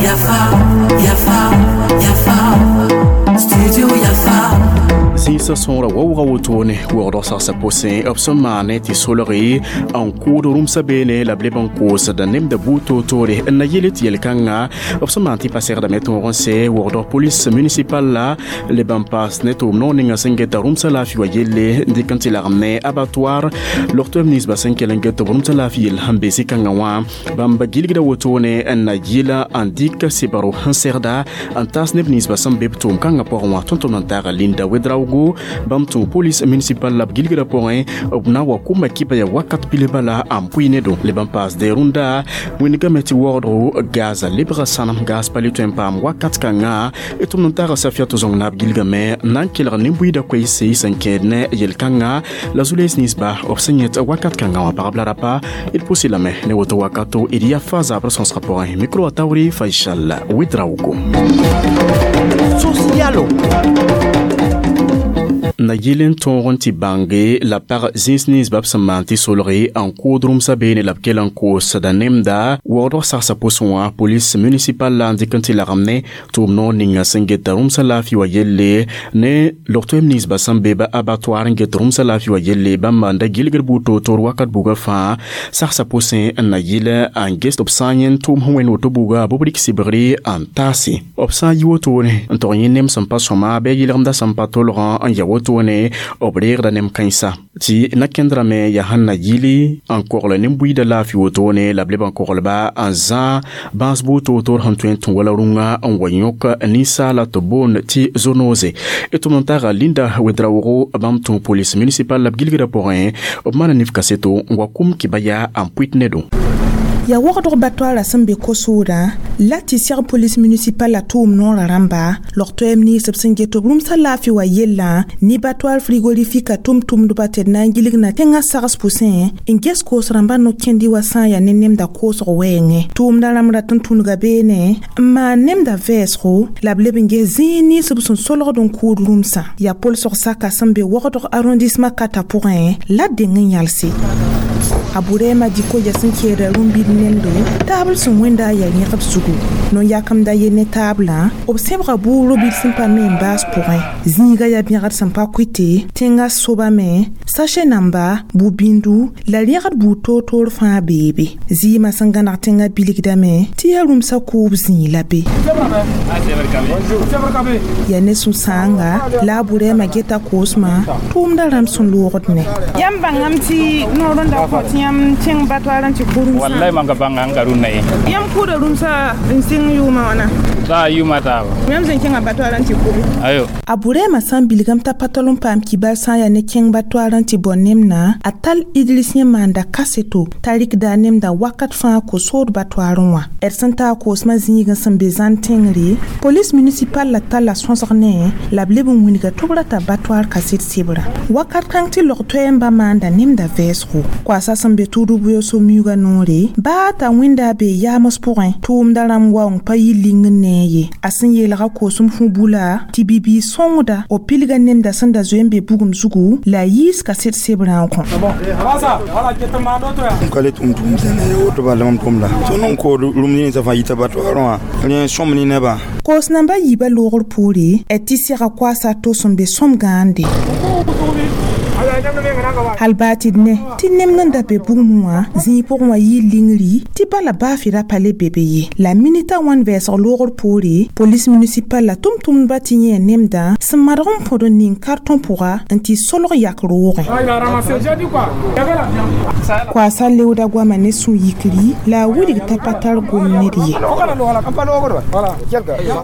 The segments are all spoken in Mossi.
Yafa, Yafa, Yafa, Studio Yafa. Zĩisã sõora waoogã wotone waoogdg sagsã pʋsẽ b sẽn maane tɩ solge n kʋʋd rũmsã beene la b leb n koosda nemda buud toor-toore n na yele tɩ yel-kãngã b sẽn maan tɩ pa segdame tõog n sɛ waoogdg polis municipal la leb n paas ne tʋʋm noog ninga sẽn geta rũmsã laafɩ wa yelle n dɩk n tɩ lagem ne abattoir log-toɛm ninsba sẽn kell n get b rũmsã laafɩ yell sẽn be zĩ-kãngã wã bãmb gilgda wotone n na yɩla n dɩk sebro sẽn segda n taas neb ninsba sẽn be b tʋʋm kãngã pʋgẽ wã tõnd-tʋmd n taaga Linda Wedraogo bãmb tũ police municipal la b gilgrã pʋgẽ b na n wa kʋma kɩba yaa wakat pile bala n pʋɩ ne do leb n paasde rũndã wĩndgame tɩ waoodgo gaza lebga sãnem gaas pa le tõe n paam wakat kãngã d tʋmd n taaga Safiato zõng naab gilgame n na n kelg nin-buiidã koeese sẽn kẽed ne yel-kãngã la zu-lees ninsba b sẽn yẽt wakat kãngã wã pagb la rapa d pʋsɩ lame ne woto wakato d yaa fa zabr sõsgã pʋgẽ micro a taoore Faisal Ouedraogo. Socialo. Na yɩl n tõog n tɩ bãnge la pag zĩis ninsba b sẽn maan tɩ solge n kʋʋd rũmsã beene la b kell n koosda nemda waoodg sagsã pʋsẽ wã police municipal la n dɩk n tɩ lagem ne tʋʋm noor ninga sẽn geta rũmsã laafɩ wa yelle ne log-toɛɛm ninsba sẽn be ba abattoir n get rũmsã laafɩ wa yelle bãmba n da gilgd buud toor-toor wakat buga fãa sagsã pʋsẽ n na yɩl n ges tɩ b sã n yẽnd tʋʋm sẽn wẽnd woto buga bɩ b rɩk sɩbgre n taase b sã n yi wotone n tog yẽ nem sẽn pa sõma bɩ a yɩlgemdã sẽn pa tolgã n ya wotone b reegda nem kãensa tɩ na-kẽndrame yaa sẽn na yɩli n kogl nin-buiidã laafɩ wotone la b leb n koglba n zã bãas buud toor-toor sẽn tõe n tũ wala rũngã n wa yõk ninsaala tɩ boond tɩ zonoose d tʋmd n taaga Linda Wedraogo bãmb tũ police municipal la b gilgrã pʋgẽ b maana nif kaseto n wa kʋm kɩba yaa n pʋɩt ne do. Ya waoogdg battoirã sẽn be kosoodã la tɩ sɛg police municipal la tʋʋm noorã rãmba log-toɛɛm ninsb sẽn get b rũmsã laafɩ wa yellã ne battoir frigorifique tʋm-tʋmdba tɩ d na n gilg na tẽngã sags pʋsẽ n ges koos rãmbã no-kẽndi wa sã n yaa ne nemda koosg wɛɛngẽ tʋʋmda rãmb rat n tũnuga beene n maan nemda vɛɛsgo la b leb n ges zĩig ninsb sẽn solgd n kʋʋd rũmsã yaa polsg saka sẽn be waoogdg arrondissement kata pʋgẽ la deng n yãlse a Burema diko ya sẽn keeda rũmbid nemdo taabl sẽn wẽnda a yaa yẽgb zugu no-yakemda ye ne taablã b sẽbga bʋʋro bid sẽn pa me n baas pʋgẽ zĩiga yaa bẽgd sẽn pa kʋɩte tẽngã sobame sachet namba bu-bĩndu la rẽgd buud toor-toor fãa beebe zɩɩmã sẽn gãneg tẽngã bilgdame tɩ yaa rũmsã kʋʋb zĩig la be yaa ne sũ-sãanga la a Burɛɛmã geta koosmã tʋʋmdã rãmb sẽn loogd ne yãmb bãngame tɩ noor n da kõ tɩ yãmb kẽng battoir n tɩ kʋ rũmsã Wallahi mam ka bãnga n ka rũnnã ye. Yãmb kʋʋda rũmsã n sɩng yʋʋmã wãna? Saa yʋʋmã taaba. Yãmb sẽn kẽngã battoir n tɩ kʋbe? Ayo. A Burɛɛmã sã n bilgame t'a pa tol n paam kibar sã n yaa ne kẽng battoir n tɩ bao nemdã a tall Idris yẽ maanda kaseto t'a rɩkda a nemda wakat fãa ko-sood battoirẽ wã d sẽn taa koosmã zĩigẽ sẽn be zãn tẽngre police municipal la talla sõsg ne la b leb n wilga tɩ b rata battoir kaset sebrã wakat kãng tɩ log-toɛɛmbã maanda nemda vɛɛsgo koasã sẽn be tʋʋd b miuugã noore baa t'a wẽnda a bee yaams pʋgẽ tʋʋmda rãmb waoong pa yɩ ling n ne ye a sẽn yeelga koosem fũ bula tɩ bibiig sõngda b pilga nemda sẽn da zoe n be bugum zugu la a yiis kaset sebrã n kõ. M ka le tʋm tʋʋm sẽn woto bala mam tʋmda tõnd n kood rũmd ninsã fãa yita battoirẽ wã rẽ sõm ne nebã. Koos namba yiibã loogr poore d tɩ sega koaasa to sẽn be sõm gãande hal baa tɩ d ne tɩ nemd n da be bugmẽ wã zĩig pʋgẽ wã yɩɩ lingri tɩ bala baafɩ ra pa le be be ye la minita wãn vɛɛsg loogr poore police municipal la tʋm-tʋmdbã tɩ yẽ nemdã sẽn madg n põd n ning kartõ pʋga n tɩ solg yak roogẽ koaasa leooda goamã ne sũ-yikri la a wilg t'a pa tar gom ned ye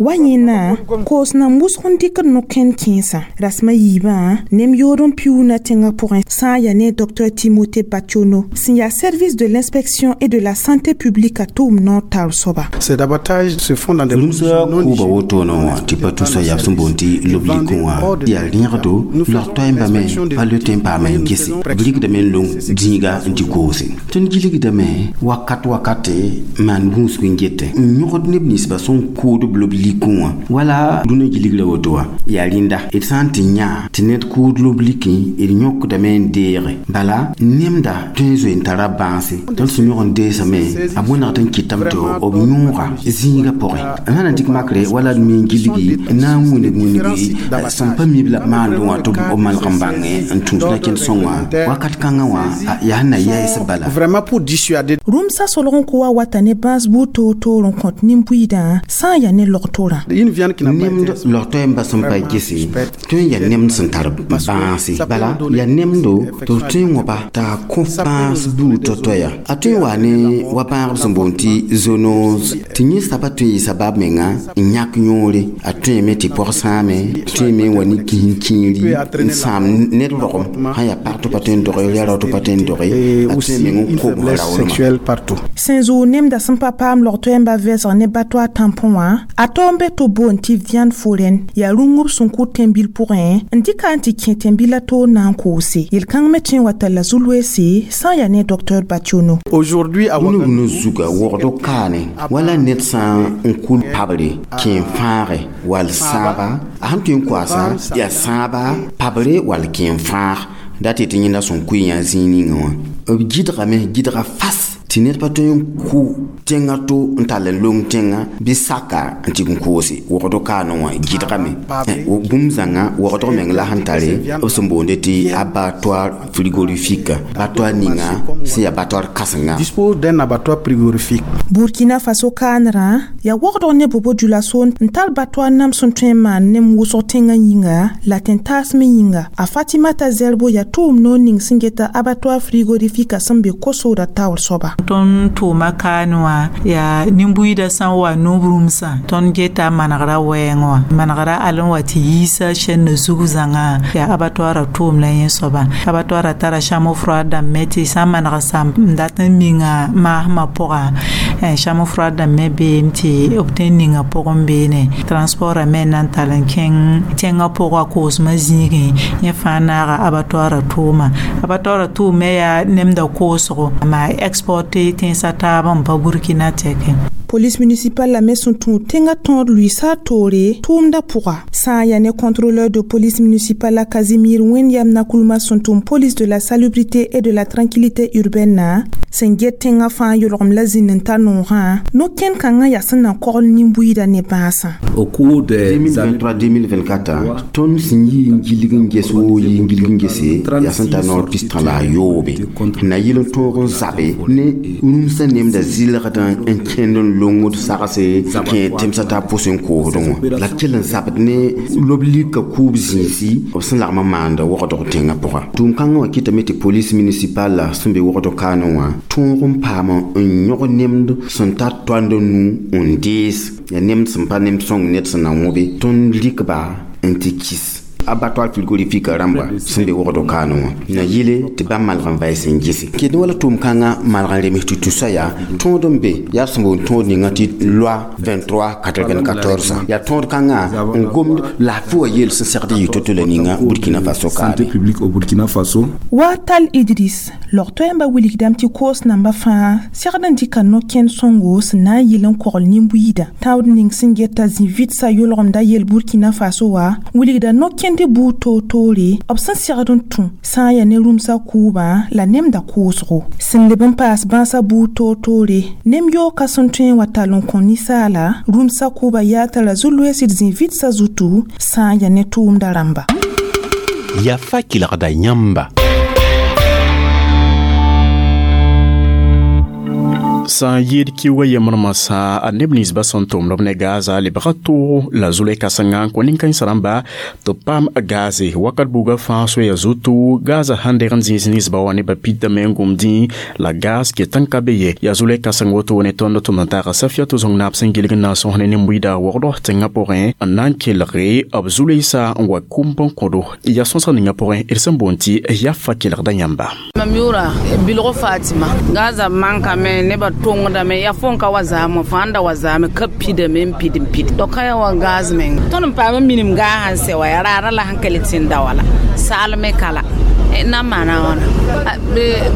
wa yẽna koos nan wʋsg n dɩkd no-kẽnd kẽensã rasmã yiibã nem yood n piuuna tẽngã pʋgẽ sã n yaa ne Dr Timothée Bationo sẽn yaa service de l'inspection et de la santé publique a tʋʋm noor taoor soaba. Ces abattages se font dans des Rũmsã kʋʋba wotone wã tɩ pa tʋsa yab sẽn boond tɩ lob-likẽ wã yaa rẽgdo log-toɛɛmbã me pa le tõe n paam n gese b rɩkdame n long zĩiga n tɩ koose tõnd gilgdame wakat wakate maan gũusg n gete n yõgd neb ninsbã sẽn kʋʋd b lob-likẽ wã wala rũnã gilgrã woto wã yaa rẽnda d sã n tɩ yã tɩ ned kʋʋd lob-likẽ d D yõkdame n deege bala nemda tõe n zoe n tara bãase tɩ b sẽn yõg n deesame a wẽnegd n kɩtame tɩ b yõoga zĩigã pʋgẽ sã na dɩk makre wala d me n gilgi n na n wĩneg wĩnegi sẽn pa mi b la b maandẽ wã tɩ b malg n bãngẽ n tũus na kẽnd sõngã wakat kãngã wã yaa sẽn na yaɩs bala. Vraiment pour dissuader. Rũmsã solg n kʋ wa wata ne bãas buud toor-toor n kõt nin-buiidã sã n yaa ne logtorã. Une viande qui n'a pas Nemd été log-toɛɛmbã sẽn pa gese tõe n yaa nemd sẽn tar bãase bala yaa nemdo tɩ b tõe n wãba t'a kõ bãas buud tɔ-tɔ ya a tõe n waa ne wa bãagb sẽn boond tɩ zoonose tɩ yẽ saba tõe n yɩ sabab menga n yãk yõore a tõeme tɩ pɔg sãame tõeme n wa ne kis kĩiri n sãam ned rogem sã yaa pag tɩ pa tõe n doge yaa rao tɩ pa tõe n doge et a tõe aussi meng n une kob faiblesse raoolmã. sexuelle partout. Sẽn zʋʋg nemda sẽn pa paam log-toɛɛmbã vɛɛsg ne batoa tãmpõ wã a tao n be tɩ b boond tɩ viande foraine yaa rũngb sẽn kʋ tẽn-bil pʋgẽ n dɩka n tɩ kẽ tẽn-bilã toor na n koose yel-kãng me tõe n wa talla zu-loeese sã n yaa ne docteur Bationo. Aujourd'hui, à Wũnug Ouagadougou, no zuga wogdo kaane wala ned sã n kul pabre kẽen fãage wall sãaba a sẽn tõe n koasa yaa sãaba pabre wall kẽen fãag dat tɩ yẽnda sẽn kʋɩ yã zĩig ninga wã b gɩdgame gɩdga fas tɩ ned pa tõe n kʋ tẽngã to n tall n long tẽngã bɩ saka n tɩ n koose wogdo kaane wã gɩdgame. Bũmb zãnga wogdg meng la sẽn tare b sẽn boonde tɩ abattoir frigorifique abattoir ninga sẽn yaa abattoir kãsenga. Dispose d'un abattoir frigorifique. Burkina Faso kaanrã yaa wogdg ne bobo djulaso n tar batoar nam sẽn tõe n maan nem wʋsg tẽngã yĩnga la tẽn-taas me yĩnga. A Fatimata Zerbo yaa tʋʋm noor ning sẽn geta abattoir frigorifique sẽn be kosoodã taoor soaba. Tõnd tʋʋma kaane wã yaa nin-buiidã sã n wa nub rũmsã tõnd geta manegrã wɛɛngẽ wã manegrã al n wa tɩ yiisa chaîne zug zãngã yaa abattoirã tʋʋm la yẽ soaba abattoirã tara chambre froide dãmb me tɩ sã n maneg sãmb n dat n minga maasmã pʋga chambre froide dãmb me beem tɩ b tõe n ninga pʋgẽ beene transportã me n na n tall n kẽng tẽngã pʋga koosmã zĩigẽ yẽ fãa naaga abattoirã tʋʋma abattoirã tʋʋm me yaa nemda koosgo ma exporte tẽnsã taab n pa Burkina tɛke. Police municipale la me sẽn tũ tẽngã tõod luiisa toore tʋʋmdã pʋga sã n yaa ne contrôleur de police municipale la Casimir Wẽn-yam Nakulma sẽn tʋm police de la salubrité et de la tranquillité urbaine na sẽn get tẽngã fãa yolgem la zĩnd n ta noogã no-kẽnd kãngã yaa sẽn na kogl nin-buiidã ne bãasã. Au cours des 2023-2024 tõnd sẽn yi n gilg n ges woo yi n gilg n gese yaa sẽn tar noor pistã la a yoobe n na yɩl n tõog n zabe ne rũmsã nemda zɩlgdã n kẽnd n longd sagse kẽ tẽmsã taab pʋs n koosdẽ wã la d kell n zabd ne lob lika kuub zĩisi b sẽn lagm n maanda wogdg tẽngã pʋga tʋʋm-kãngã wã kɩtame tɩ police municipale la sẽn be wogdg kaane wã tõog n paam n yõg nemd sẽn tar toand nu n dees yaa nemd sẽn pa nemd sõng ned sẽn na wõbe tõnd rɩkba n tɩ kis abattoir frigorifique rãmba sẽn be wogd kaane wã na yɩle tɩ bãmb malg n vaɩs n gese ket wala tʋʋm-kãngã malg n rems tɩ tusa yaa tõod n be yaa sẽn boond tõod ninga tɩ loi 2394 yaa tõod kãngã n gomd laafɩ wã yeel sẽn segd yɩ to-to la ninga Burkina Faso santé kaane. Publique au Burkina Faso. Wa tal Idris log-toɛɛmbã wilgdame tɩ koos nambã fãa segd n dɩka no-kẽnd sõngo sẽn na n yɩl n kogl nin-buiidã tãood ning sẽn geta zĩ-vɩdsã yolgemda yel Burkina Faso wã wilgda no-kẽnd buud toor-toore b sẽn segd n tũ sã n yaa ne rũmsã kʋʋbã la nemda koosgo sẽn leb n paas bãasã buud toor-toore nem yooka sẽn tõe n wa tall n kõ ninsaala rũmsã kʋʋbã yaa tara zu-loees d zĩ-vɩdsã zutu sã n yaa ne tʋʋmda rãmba. Yafa kelgda yãmba. Sã n yɩɩd kiuugã yembr masã a neb ninsbã sẽn tʋmd b ne gaza lebga toogo la zulɛ-kãsengã n kõ nin-kãensã rãmba tɩ b paam gaze wakat buugã fãa soaya zutu gaza sãn deg n zĩis ninsbã wã nebã pidame n gũmdĩ la gaz ket n ka be ye yaa zulɛ-kãseng woto ne tõnd tʋm n taaga Safiato Zõng-naab sẽn gilg n na n sõs ne nin-buiida wogd tẽngã pʋgẽ n na n kelge b zu-loeesa n wa kũmb n kõdo yaa sõsg ninga pʋgẽ d sẽn boond tɩ yafa kelgda yãmba. Mam yʋʋra Bilgo Fatima gaza mankame nebã tõngdame yaa fo n ka wa zaame fãa n da wa zaame ka pidame n pid n pid doka ya wa gaz meng tõnd n paam n minim gaa sãn sɛ wa yaa raara la sẽn ka le tẽn da wala saalme kala Na n maana wãna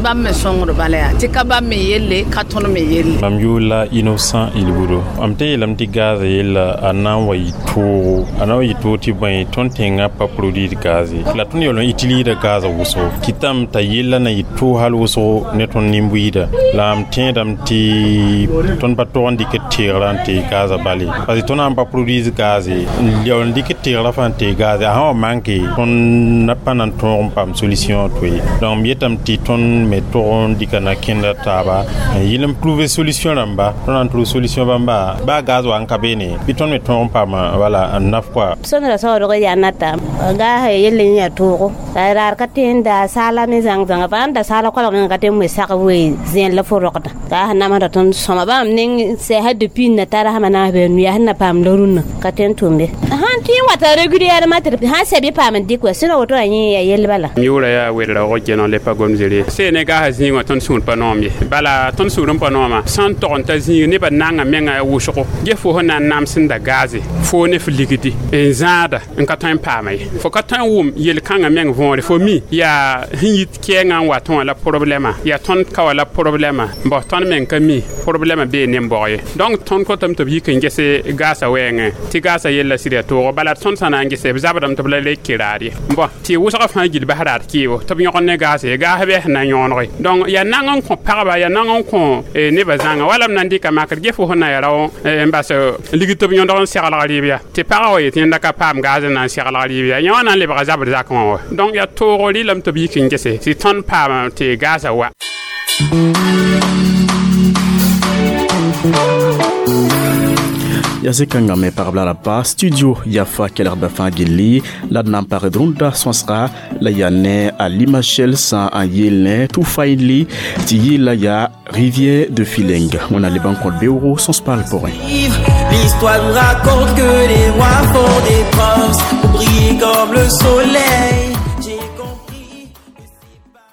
bãmb me sõngd bala yaa tɩ ka bãmb me yelle ka tõnd me yelle. Mam yʋʋr la Innocent Ilbudo. Mam tɩ yeelame tɩ gaza yella a na n wa yɩ toogo, a na n wa yɩ toog tɩ bõe, tõnd tẽngã pa produire gaz ye, la tõnd yaool n utilise gaza wʋsgo kɩtame t'a yella na yɩ toog hal wʋsgo ne tõnd nin-buiida. La m tẽedame tɩ tõnd pa tog n dɩk teegrã n tee gaza bale, parce que tõnd sã n pa produire gaz ye, n yaool n dɩk teegrã fãa n tee gaz, a sã wa manke, tõnd pa na n tõog n paam solution to ye. Donc m yetame tɩ tõnd me tog n dɩka na kẽnda taaba n yɩl n trouver solution rãmba. Tõnd na n trouve solution bãmba, baa gaz wa n ka beene, bɩ tõnd me tõog n paama, wala, n naf kɔa. Sõndra saoodg yaa nata gaasã yell n yaa toogo la raar ka tẽ n da saala me zãng zãnga bãmb da saala koalg meng ka tẽ n we sag we zẽen la fo rogda gaasã namsda tõnd sõma bãmb ning sɛɛsã depuis n na tara sãma naas bɩ nuya sẽn na paam la rũnnã ka tẽ n tʋmbe sãn tɩ n wata régulièrement tɩ sãn sɛ bɩ paam n dɩk wa sẽn woto wã yẽ yaa yell bala. M yʋʋra yaa welra geno le pa gom zere see ne gaasã zĩig wã, tõnd sũur pa noom ye. Bala tõnd sũur n pa nooma sãn tog n ta zĩig nebã nanga menga wʋsgo ges fo sẽn na n nams n da gaze fo ne f ligdi n zãada n ka tõe n paama ye. Fo ka tõe n wʋm yel-kãngã meng võore, fo mi yaa sẽn yit kɛɛngã n wat wã la problɛma, yaa tõnd ka wa la problɛma bos, tõnd meng ka mi problɛma bee nen-bog ye. Donc tõnd kotame tɩ b yik n gese gaasã wɛɛngẽ tɩ gaasã yella sɩd yaa toogo. Bala tõnd sã na n gese, b zabdame tɩ b la le kɩ raad ye. Bõn tɩ wʋsgã fãa gil bas raad kɩɩbo tɩ b yõgd ne gaase ye, gaas bɩ sẽn na n yõonege. Donc yaa nang n kõ pagba, yaa nang n kõ nebã zãnga wala m na n dɩka makr ges fo sẽn na ya rao n bas ligd tɩ b yõdg n seglg rɩɩb ya tɩ pagã wa yetɩ yẽnda ka paam gaaz n na n seglg rɩɩb ya, yẽ wã na n lebga zabr zakẽ wã wa. Donc yaa toogo rɩlame tɩ b yik n gese tɩ tõnd paam tɩ gaasã wa. Ya sẽkãngã me pagb la rapa studio Yafa kelgdbã fãa gilli la d na n pagd rũndã sõsga la yaa ne a Limachel sã n yeel ne Toufaili tɩ yɩɩla yaa Rivière de Fileng. Wẽnna leb n kõt beoogo sõs-paal pʋgẽ. L'histoire nous raconte que les rois font des preuves pour briller comme le soleil.